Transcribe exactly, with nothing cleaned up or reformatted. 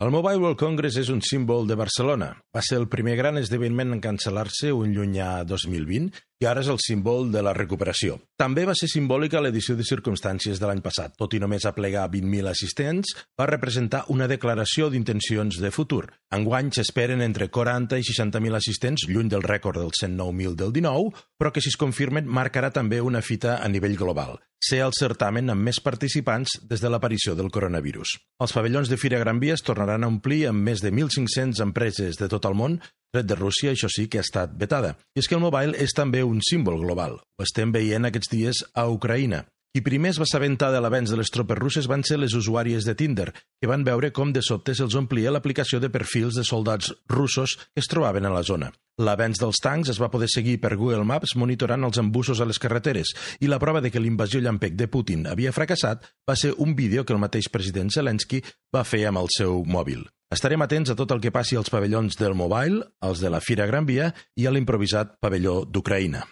El Mobile World Congress és un símbol de Barcelona. Va ser el primer gran esdeveniment en cancel·lar-se un llunyà dos mil vint i ara és el símbol de la recuperació. També va ser simbòlica l'edició de circumstàncies de l'any passat. Tot i només aplegar vint mil assistents, va representar una declaració d'intencions de futur. Enguany s'esperen entre quaranta i seixanta mil assistents, lluny del rècord dels cent nou mil del dinou, però que si es confirmen marcarà també una fita a nivell global. Ser el certamen amb més participants des de l'aparició del coronavirus. Els pavellons de Fira Gran Via es tornaran a omplir amb més de mil cinc-centes empreses de tot el món, tret de Rússia, això sí que ha estat vetada. I és que el mobile és també un símbol global. Ho estem veient aquests dies a Ucraïna. Qui primer es va assabentar de l'avenç de les tropes russes van ser les usuàries de Tinder, que van veure com de sobte se'ls omplia l'aplicació de perfils de soldats russos que es trobaven a la zona. L'avenç dels tancs es va poder seguir per Google Maps monitorant els embussos a les carreteres i la prova de que l'invasió llampec de Putin havia fracassat va ser un vídeo que el mateix president Zelensky va fer amb el seu mòbil. Estarem atents a tot el que passi als pavellons del mobile, als de la Fira Gran Via i a l'improvisat pavelló d'Ucraïna.